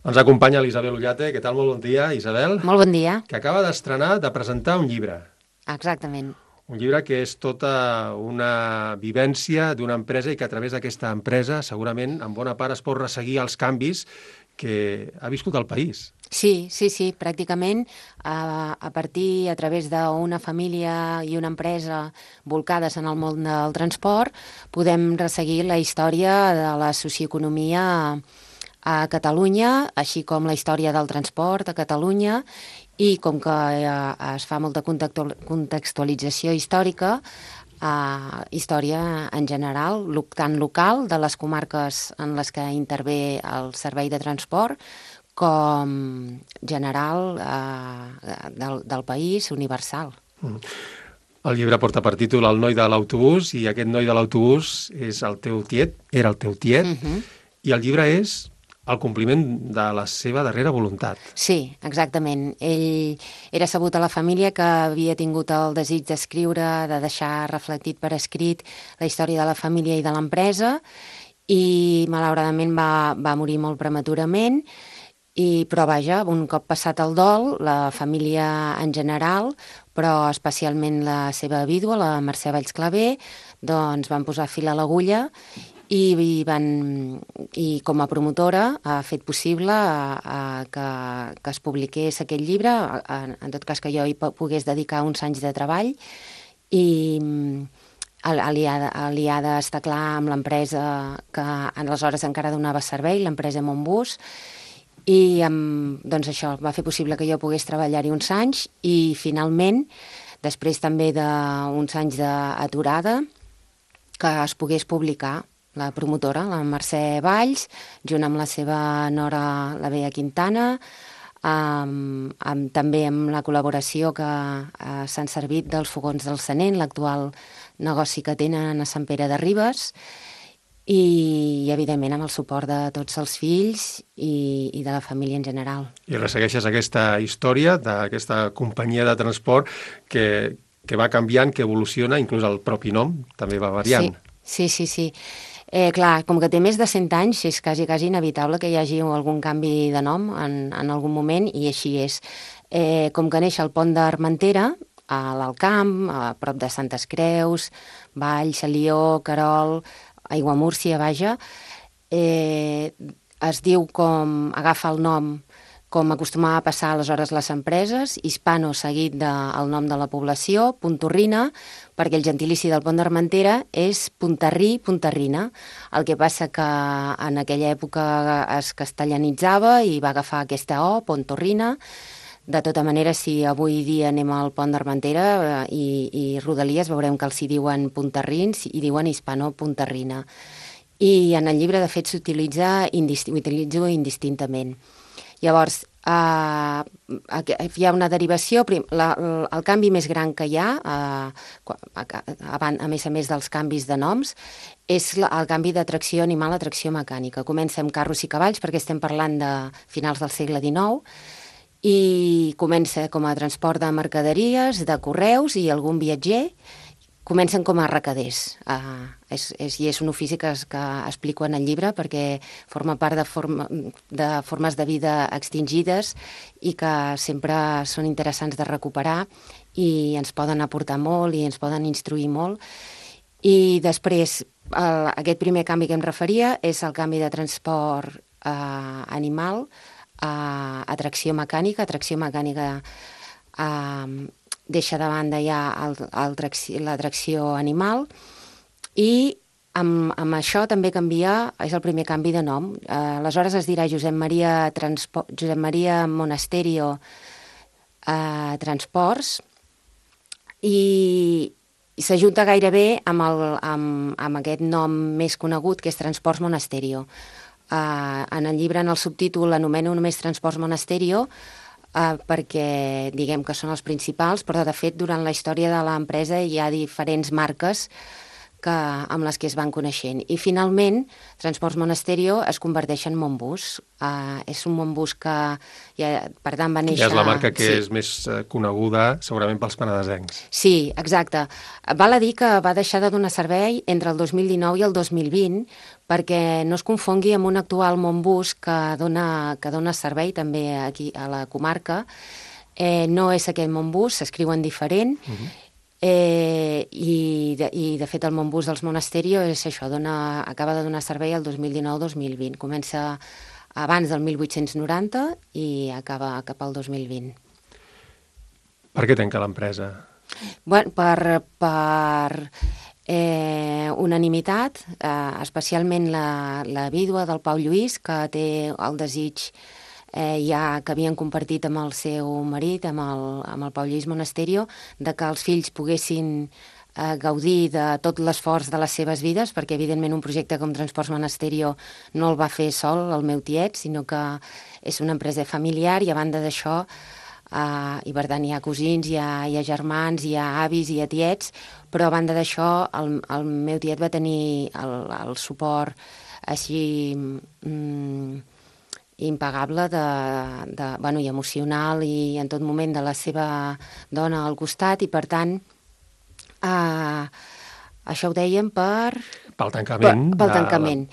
Ens acompanya l'Isabel Ullate. Què tal? Molt bon dia, Isabel. Molt bon dia. Que acaba d'estrenar, de presentar un llibre. Exactament. Un llibre que és tota una vivència d'una empresa i que a través d'aquesta empresa segurament en bona part es pot resseguir els canvis que ha viscut el país. Sí, pràcticament a través d'una família i una empresa volcades en el món del transport podem resseguir la història de la socioeconomia a Catalunya, així com la història del transport a Catalunya, i com que es fa molta contextualització històrica, història en general, tant local, de les comarques en les que intervé el servei de transport, com general del país, universal. El llibre porta per títol El noi de l'autobús, i aquest noi de l'autobús és el teu tiet, era el teu tiet, i el llibre és el compliment de la seva darrera voluntat. Sí, exactament. Ell era sabut a la família que havia tingut el desig d'escriure, de deixar reflectit per escrit la història de la família i de l'empresa, i malauradament va morir molt prematurament, però vaja, un cop passat el dol, la família en general, però especialment la seva vídua, la Mercè Valls Clavé, doncs van posar fil a l'agulla i com a promotora ha fet possible que es publiqués aquest llibre, en tot cas que jo hi pogués dedicar uns anys de treball, i aliada està clar amb l'empresa que aleshores encara donava servei, l'empresa Montbus, i doncs això va fer possible que jo pogués treballar-hi uns anys, i finalment, després també d'uns anys d'aturada, que es pogués publicar. La promotora, la Mercè Valls, junt amb la seva nora, la Bea Quintana, també amb la col·laboració que s'han servit dels fogons del Sanent, l'actual negoci que tenen a Sant Pere de Ribes, i evidentment amb el suport de tots els fills i de la família en general. I ressegueixes aquesta història d'aquesta companyia de transport que va canviant, que evoluciona, inclús el propi nom també va variant. Sí. Clar, com que té més de 100 anys, és quasi inevitable que hi hagi algun canvi de nom en algun moment, i així és. Com que neix el pont d'Armentera, a l'Alt Camp, a prop de Santes Creus, Valls, Alió, Querol, Aiguamúrcia, vaja, es diu agafa el nom com acostumava a passar aleshores les empreses, Hispano seguit del nom de la població, Puntorrina, perquè el gentilici del pont d'Armentera és Puntarrí, Puntarrina. El que passa que en aquella època es castellanitzava i va agafar aquesta O, Pontorrina. De tota manera, si avui dia anem al pont d'Armentera i Rodalies, veurem que els hi diuen puntarrins i diuen Hispano Puntarrina. I en el llibre, de fet, s'utilitzo indistintament. Llavors, hi ha una derivació, el canvi més gran que hi ha, a més dels canvis de noms, és el canvi de tracció animal a tracció mecànica. Comença amb carros i cavalls, perquè estem parlant de finals del segle XIX, i comença com a transport de mercaderies, de correus i algun viatger. Comencen com a recaders, i és un ofici que explico en el llibre perquè forma part de formes de vida extingides i que sempre són interessants de recuperar i ens poden aportar molt i ens poden instruir molt. I després, aquest primer canvi que em referia és el canvi de transport animal a tracció mecànica. Tracció mecànica deixa de banda ja la tracció animal, i amb això també és el primer canvi de nom. Aleshores es dirà Josep Maria Monasterio Transports, i s'ajunta gairebé amb aquest nom més conegut, que és Transports Monasterio. En el llibre, en el subtítol, l'anomeno només Transports Monasterio, perquè diguem que són els principals, però de fet durant la història de l'empresa hi ha diferents marques amb les que es van coneixent. I finalment, Transports Monasterio es converteix en Montbus. És un Montbus que, per tant, va néixer... Ja és la marca que és més coneguda, segurament, pels penedesencs. Sí, exacte. Val a dir que va deixar de donar servei entre el 2019 i el 2020 perquè no es confongui amb un actual Montbus que dona servei també aquí a la comarca. No és aquest Montbus, s'escriuen diferent, i de fet el Montbus dels Monasterio és això, acaba de donar servei el 2019-2020. Comença abans del 1890 i acaba cap al 2020. Per què tanca l'empresa? Bueno, per unanimitat, especialment la vídua del Pau Lluís, que té el desig que havien compartit amb el seu marit, amb el Pau Lluís Monasterio, de que els fills poguessin gaudir de tot l'esforç de les seves vides, perquè evidentment un projecte com Transports Monasterio no el va fer sol el meu tiet, sinó que és una empresa familiar i a banda d'això i per tant hi ha cosins, hi ha germans, hi ha avis, hi ha tiets, però a banda d'això el meu tiet va tenir el suport així impagable i emocional i en tot moment de la seva dona al costat, i per tant això ho dèiem pel tancament. Pel tancament.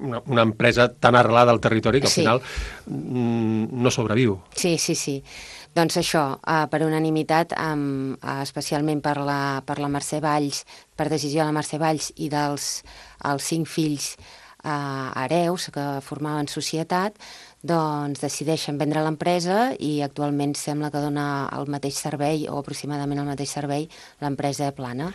Una empresa tan arrelada al territori que al final no sobreviu. Sí. Doncs això, per unanimitat, especialment per la Mercè Valls, per decisió de la Mercè Valls i dels 5 fills hereus que formaven societat, doncs decideixen vendre l'empresa i actualment sembla que dona el mateix servei o aproximadament el mateix servei l'empresa Plana.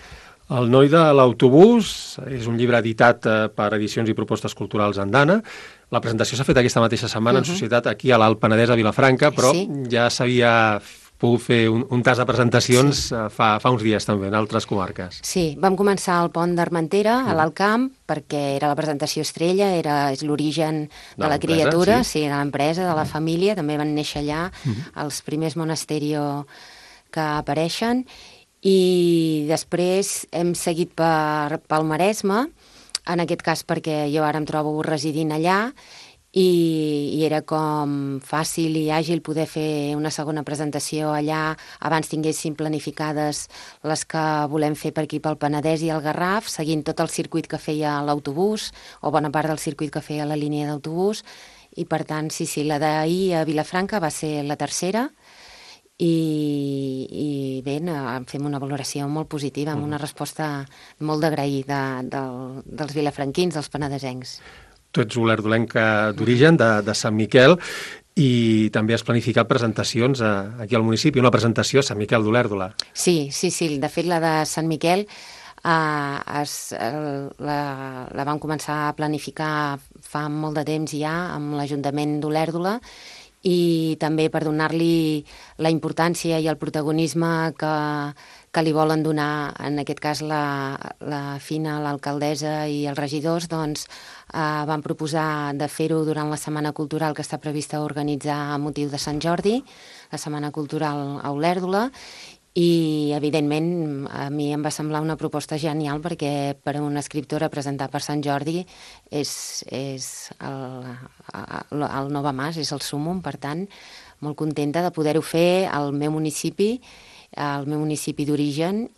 El noi de l'autobús és un llibre editat per Edicions i Propostes Culturals Andana. La presentació s'ha fet aquesta mateixa setmana en societat aquí a l'Alt Penedès, a Vilafranca, però ja s'havia pogut fer un tas de presentacions fa uns dies també, en altres comarques. Sí, vam començar al Pont d'Armentera, a l'Alt Camp, perquè era la presentació estrella, és l'origen de la criatura, de l'empresa, de la família, també van néixer allà els primers Monasterio que apareixen, i després hem seguit pel Maresme, en aquest cas perquè jo ara em trobo residint allà, i era com fàcil i àgil poder fer una segona presentació allà abans tinguéssim planificades les que volem fer per aquí pel Penedès i el Garraf, seguint tot el circuit que feia l'autobús o bona part del circuit que feia la línia d'autobús, i per tant, la d'ahir a Vilafranca va ser la tercera, i bé, fem una valoració molt positiva, amb una resposta molt d'agrair dels vilafranquins, dels penedesencs. Tu ets olerdolenca d'origen, de Sant Miquel, i també has planificat presentacions aquí al municipi, una presentació a Sant Miquel d'Olèrdola. Sí, de fet la de Sant Miquel la vam començar a planificar fa molt de temps ja amb l'Ajuntament d'Olèrdola, i també per donar-li la importància i el protagonisme que li volen donar, en aquest cas la Fina, l'alcaldessa i els regidors, doncs van proposar de fer-ho durant la Setmana Cultural que està prevista organitzar a motiu de Sant Jordi, la Setmana Cultural a Olèrdola, i evidentment a mi em va semblar una proposta genial perquè per a una escriptora presentar per Sant Jordi és el Nova Mas, és el súmmum, per tant molt contenta de poder-ho fer al meu municipi d'origen,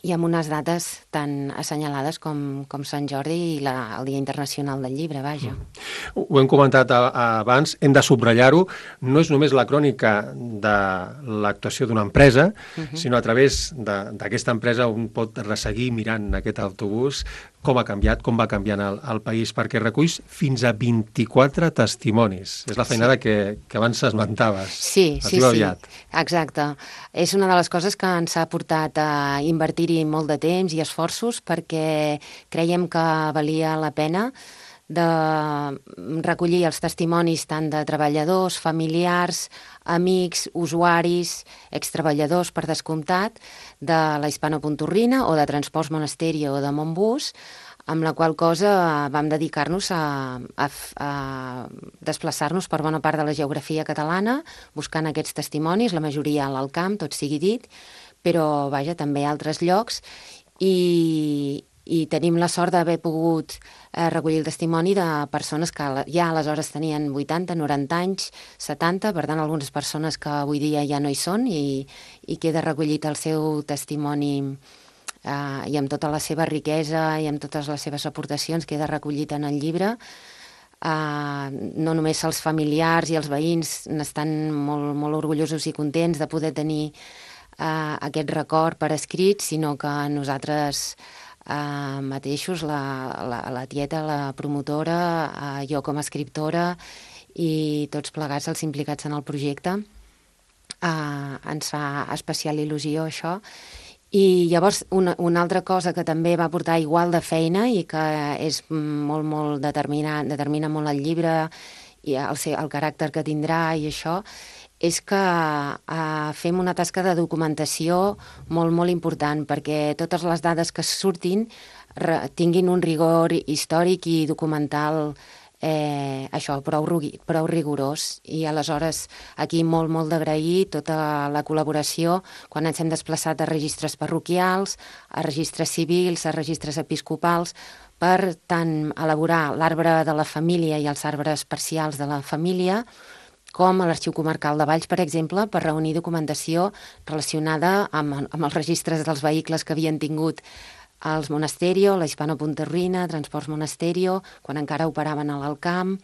i amb unes dates tan assenyalades com Sant Jordi i el Dia Internacional del Llibre, vaja. Ho hem comentat abans, hem de subratllar-ho, no és només la crònica de l'actuació d'una empresa, sinó a través d'aquesta empresa un pot resseguir mirant aquest autobús com ha canviat, com va canviant el país, perquè reculls fins a 24 testimonis. És la feinada que abans esmentaves. Sí, exacte. És una de les coses que ens ha portat a invertir-hi molt de temps i esforços, perquè creiem que valia la pena de recollir els testimonis tant de treballadors, familiars, amics, usuaris, extreballadors, per descomptat, de la Hispano-Pontorrina o de Transports Monasterio o de Montbus, amb la qual cosa vam dedicar-nos a desplaçar-nos per bona part de la geografia catalana, buscant aquests testimonis, la majoria a l'Alt Camp, tot sigui dit, però vaja, també a altres llocs, i tenim la sort d'haver pogut recollir el testimoni de persones que ja aleshores tenien 80, 90 anys, 70, per tant, algunes persones que avui dia ja no hi són i queda recollit el seu testimoni i amb tota la seva riquesa i amb totes les seves aportacions queda recollit en el llibre. No només els familiars i els veïns n'estan molt, molt orgullosos i contents de poder tenir aquest record per escrit, sinó que nosaltres mateixos, la tieta, la promotora, jo com a escriptora i tots plegats els implicats en el projecte, ens fa especial il·lusió això. I llavors una altra cosa que també va portar igual de feina i que és molt, molt determina molt el llibre i el caràcter que tindrà i això, és que fem una tasca de documentació molt, molt important perquè totes les dades que surtin tinguin un rigor històric i documental prou rigorós. I aleshores aquí molt d'agrair tota la col·laboració quan ens hem desplaçat a registres parroquials, a registres civils, a registres episcopals, per tant elaborar l'arbre de la família i els arbres parcials de la família, com a l'Arxiu Comarcal de Valls, per exemple, per reunir documentació relacionada amb els registres dels vehicles que havien tingut els Monasterio, la Hispano-Punterrina, Transports Monasterio, quan encara operaven a l'Alcamp,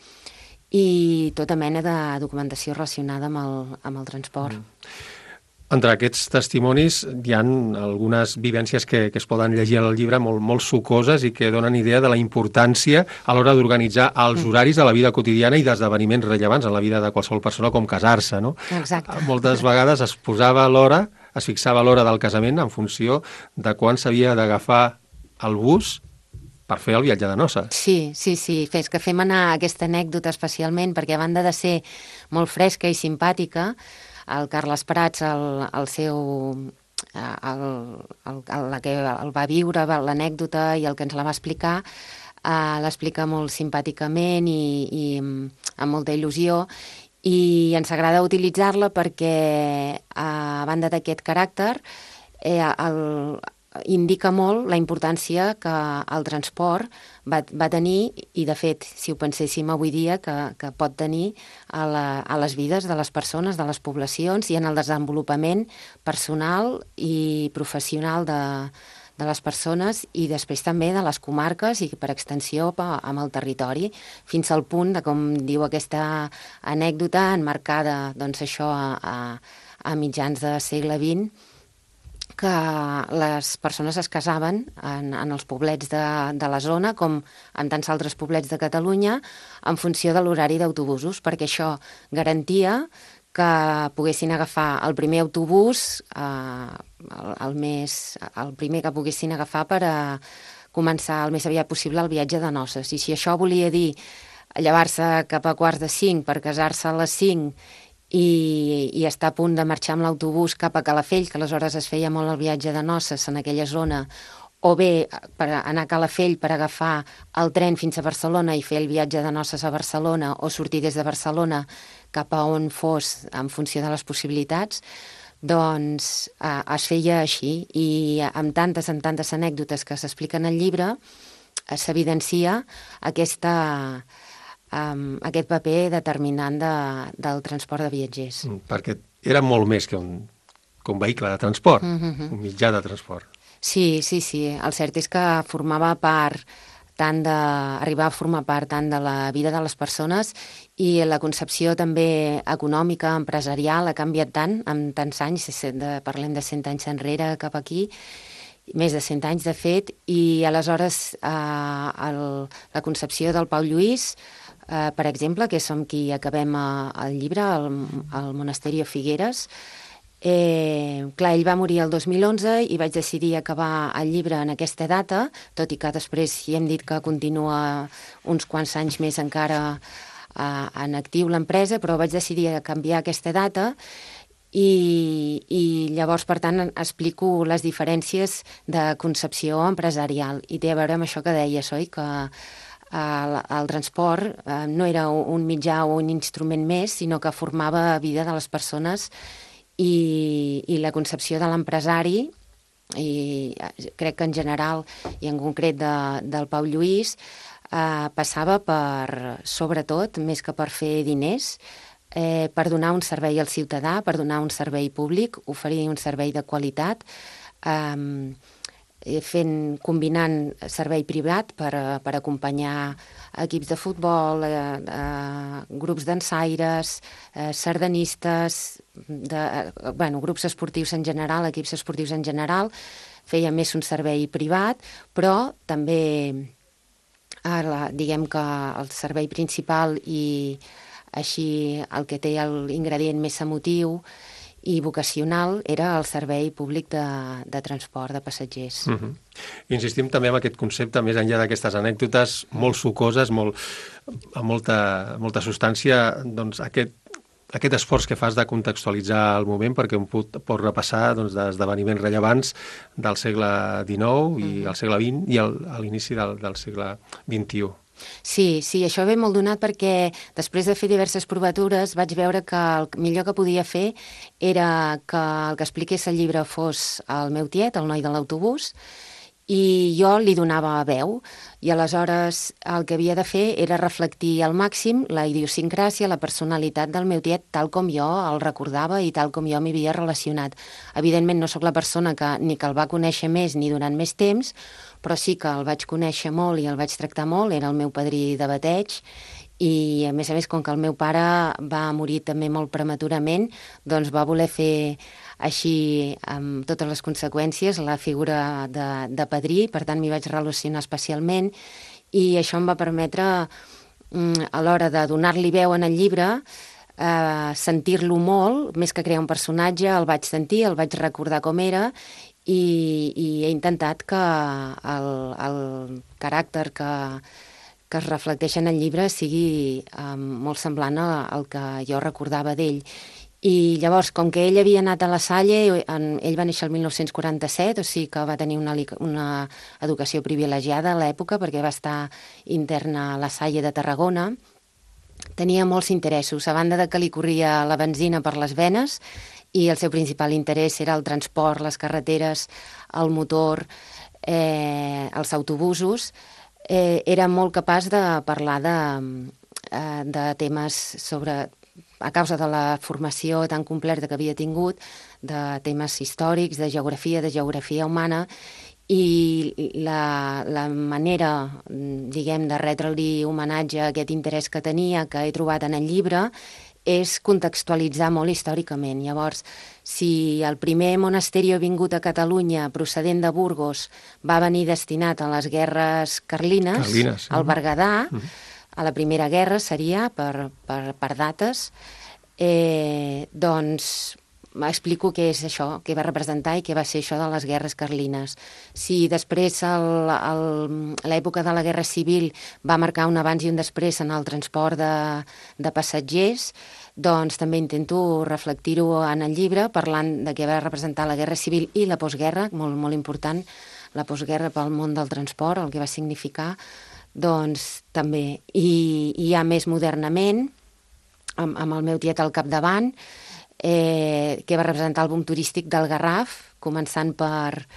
i tota mena de documentació relacionada amb el transport. Entre aquests testimonis hi ha algunes vivències que es poden llegir al llibre molt sucoses i que donen idea de la importància a l'hora d'organitzar els horaris de la vida quotidiana i d'esdeveniments rellevants en la vida de qualsevol persona, com casar-se, no? Exacte. Moltes vegades es fixava l'hora del casament en funció de quan s'havia d'agafar el bus per fer el viatge de noces. Sí, que fem anar aquesta anècdota especialment perquè a banda de ser molt fresca i simpàtica, el Carles Prats, el que el va viure, l'anècdota i el que ens la va explicar, l'explica molt simpàticament i amb molta il·lusió, i ens agrada utilitzar-la perquè, a banda d'aquest caràcter, indica molt la importància que el transport va tenir, i de fet, si ho penséssim avui dia, que pot tenir a les vides de les persones, de les poblacions i en el desenvolupament personal i professional de les persones i després també de les comarques i per extensió amb el territori, fins al punt de, com diu aquesta anècdota, enmarcada doncs, això a mitjans del segle XX, que les persones es casaven en els poblets de la zona, com en tants altres poblets de Catalunya, en funció de l'horari d'autobusos, perquè això garantia que poguessin agafar el primer autobús, el primer que poguessin agafar per a començar el més aviat possible el viatge de noces. I si això volia dir llevar-se cap a 4:45 per casar-se a les 5 i estar a punt de marxar amb l'autobús cap a Calafell, que aleshores es feia molt el viatge de noces en aquella zona, o bé per anar a Calafell per agafar el tren fins a Barcelona i fer el viatge de noces a Barcelona, o sortir des de Barcelona cap a on fos en funció de les possibilitats, doncs es feia així, i amb tantes anècdotes que s'expliquen al llibre s'evidencia aquest paper determinant del transport de viatgers. Perquè era molt més que un vehicle de transport, un mitjà de transport. Sí. El cert és que formava part arribar a formar part tant de la vida de les persones, i la concepció també econòmica, empresarial, ha canviat tant en tants anys, parlem de 100 anys enrere cap aquí, més de 100 anys de fet, i aleshores la concepció del Pau Lluís, per exemple, que som qui acabem el llibre, al Monasterio Figueres. Clar, ell va morir el 2011 i vaig decidir acabar el llibre en aquesta data, tot i que després hi hem dit que continua uns quants anys més encara en actiu l'empresa, però vaig decidir canviar aquesta data, i llavors, per tant, explico les diferències de concepció empresarial, i té a veure amb això que deies, oi? Que el transport no era un mitjà o un instrument més, sinó que formava vida de les persones, i la concepció de l'empresari crec que en general i en concret del Pau Lluís, passava per, sobretot, més que per fer diners, per donar un servei al ciutadà, per donar un servei públic, oferir un servei de qualitat, combinant servei privat per acompanyar equips de futbol, grups dansaires, sardanistes, grups esportius en general, equips esportius en general. Feia més un servei privat, però també diguem que el servei principal i així el que té l'ingredient més emotiu i vocacional era el servei públic de transport de passatgers. Insistim també en aquest concepte, més enllà d'aquestes anècdotes molt sucoses, amb molta substància, doncs aquest esforç que fas de contextualitzar el moment perquè un pot repassar d'esdeveniments rellevants del segle XIX i el segle XX i a l'inici del segle XXI. Sí, això ve molt donat perquè després de fer diverses provatures vaig veure que el millor que podia fer era que el que expliqués el llibre fos el meu tiet, el noi de l'autobús, i jo li donava veu, i aleshores el que havia de fer era reflectir al màxim la idiosincràsia, la personalitat del meu tiet tal com jo el recordava i tal com jo m'hi havia relacionat. Evidentment no sóc la persona que el va conèixer més ni durant més temps, però sí que el vaig conèixer molt i el vaig tractar molt, era el meu padrí de bateig, i a més, com que el meu pare va morir també molt prematurament, doncs va voler fer així, amb totes les conseqüències, la figura de padrí, per tant m'hi vaig relacionar especialment, i això em va permetre, a l'hora de donar-li veu en el llibre, sentir-lo molt, més que crear un personatge, el vaig sentir, el vaig recordar com era, i he intentat que el caràcter que es reflecteix en el llibre sigui molt semblant al que jo recordava d'ell. I llavors, com que ell havia anat a La Salle, ell va néixer el 1947, o sigui que va tenir una educació privilegiada a l'època, perquè va estar intern a La Salle de Tarragona, tenia molts interessos, a banda de que li corria la benzina per les venes, i el seu principal interès era el transport, les carreteres, el motor, els autobusos. Era molt capaç de parlar de temes a causa de la formació tan completa que havia tingut, de temes històrics, de geografia humana, i la manera, diguem, de retre-li homenatge a aquest interès que tenia, que he trobat en el llibre, és contextualitzar molt històricament. Llavors, si el primer monasteri vingut a Catalunya, procedent de Burgos, va venir destinat a les guerres carlines, al Berguedà, a la Primera Guerra seria, per dates, doncs explico què és això, què va representar i què va ser això de les guerres carlines. Si després l'època de la Guerra Civil va marcar un abans i un després en el transport de passatgers, doncs també intento reflectir-ho en el llibre parlant de què va representar la Guerra Civil i la postguerra, molt, molt important, la postguerra pel món del transport, el que va significar, doncs també. I ja més modernament, amb el meu tiet al capdavant, que va representar el boom turístic del Garraf, començant per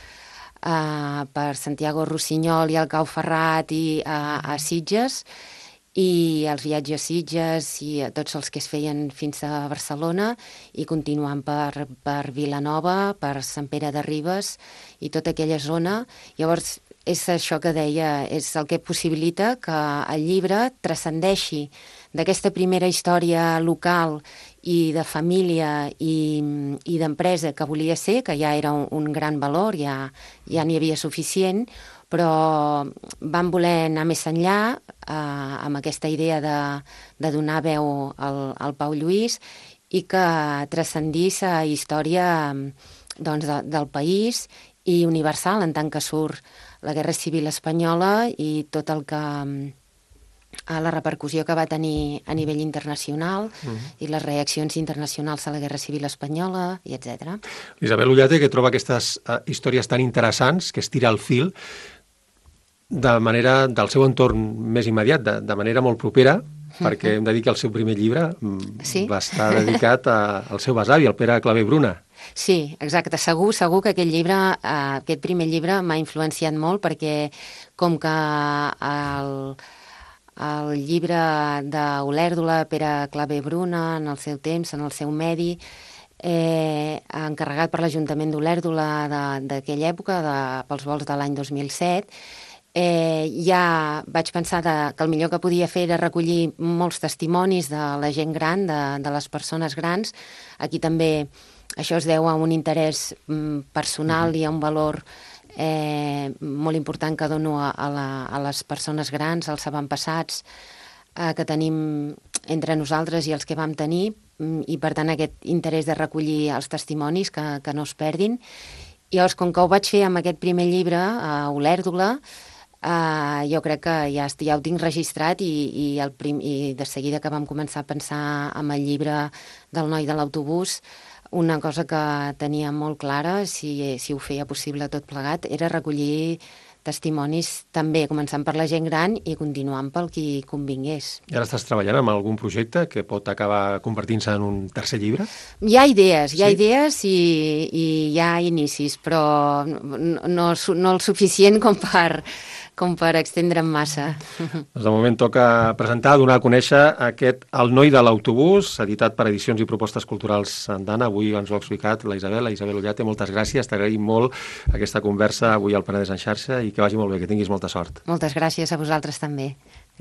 Santiago Rossinyol i el Cau Ferrat i a Sitges, i els viatges a Sitges i a tots els que es feien fins a Barcelona, i continuant per Vilanova, per Sant Pere de Ribes i tota aquella zona. Llavors, és això que deia, és el que possibilita que el llibre transcendeixi d'aquesta primera història local i de família i d'empresa que volia ser, que ja era un gran valor, ja n'hi havia suficient, però van voler anar més enllà amb aquesta idea de donar veu al Pau Lluís i que transcendís a història del país i universal, en tant que surt la Guerra Civil Espanyola i tot el que la repercussió que va tenir a nivell internacional i les reaccions internacionals a la Guerra Civil Espanyola, i etc. Isabel Ullate, que troba aquestes històries tan interessants, que es tira el fil de manera del seu entorn més immediat, de manera molt propera, perquè hem de dir que el seu primer llibre Sí. va estar dedicat al seu besavi, el Pere Clavé Bruna. Sí, exacte. Segur que aquest llibre, aquest primer llibre m'ha influenciat molt perquè com que el llibre d'Olèrdola, Pere Clavé Bruna, en el seu temps, en el seu medi, encarregat per l'Ajuntament d'Olèrdola d'aquella època, pels vols de l'any 2007, ja vaig pensar que el millor que podia fer era recollir molts testimonis de la gent gran, de les persones grans. Aquí també això es deu a un interès personal i a un valor molt important que dono a les persones grans, als avantpassats que tenim entre nosaltres i els que vam tenir, i per tant aquest interès de recollir els testimonis que no es perdin. I llavors, com que ho vaig fer amb aquest primer llibre, a Olèrdola, jo crec que ja ho tinc registrat i de seguida que vam començar a pensar en el llibre del noi de l'autobús, una cosa que tenia molt clara, si ho feia possible tot plegat, era recollir testimonis també, començant per la gent gran i continuant pel qui convingués. I ara estàs treballant en algun projecte que pot acabar convertint-se en un tercer llibre? Hi ha idees i hi ha inicis, però no el suficient com per extendre'm massa. Doncs de moment toca presentar, donar a conèixer aquest El noi de l'autobús, editat per Edicions i Propostes Culturals Sandana. Avui ens ho ha explicat la Isabel Ollate. Moltes gràcies, t'agraïm molt aquesta conversa avui al Penedès en xarxa i que vagi molt bé, que tinguis molta sort. Moltes gràcies a vosaltres també.